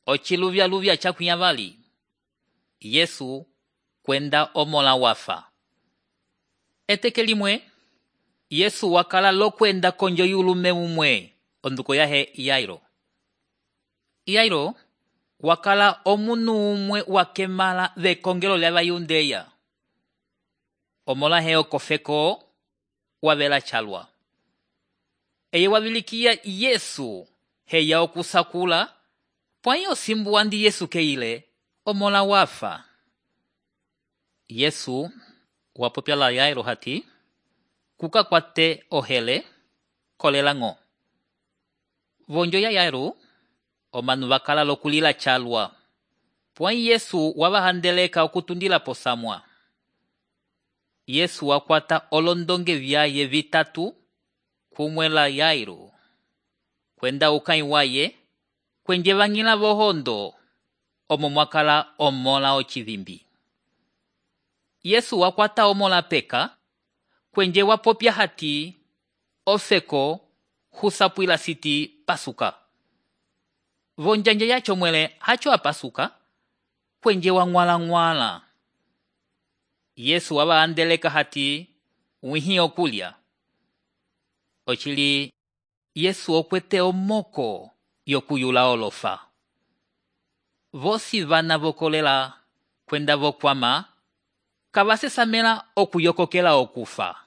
ociluvyaluvya cakwiyavali, Yesu kwenda omola wafa. Eteke limwe, Yesu wakala lokwenda konjo yulume umwe, onduko yahe Yairo. Yairo wakala omunu umwe wakemala vekongelo lya Bayundeya. Omola he okofeko wavela chalwa. Eye wabilikia Yesu heya okusakula, pwayo simbu andi Yesu keile, omola wafa. Yesu wapopya la Yairo hati, kuka kwate ohele, kolelango. Vonjo ya Yairo, omanu wakala lokulila chalwa. Pwai Yesu wabahandeleka okutundila posamwa. Yesu wakwata olondonge vyaye vitatu, kumwela Yairo. Kwenda ukai waye, kwenje vangila bohondo, omo mwakala omola ochivimbi. Yesu wakwata omola peka, kwenje wapopya hati, ofeko husapwila siti pasuka. Vonjanje yacho mwele hacho apasuka, kwenje wangwala. Yesu wabahandeleka hati, wihi okulya. Ochili, Yesu okwete omoko yokuyula olofa. Vosi vana vokolela kwenda vokwama, kabasesamela okuyokokela okufa.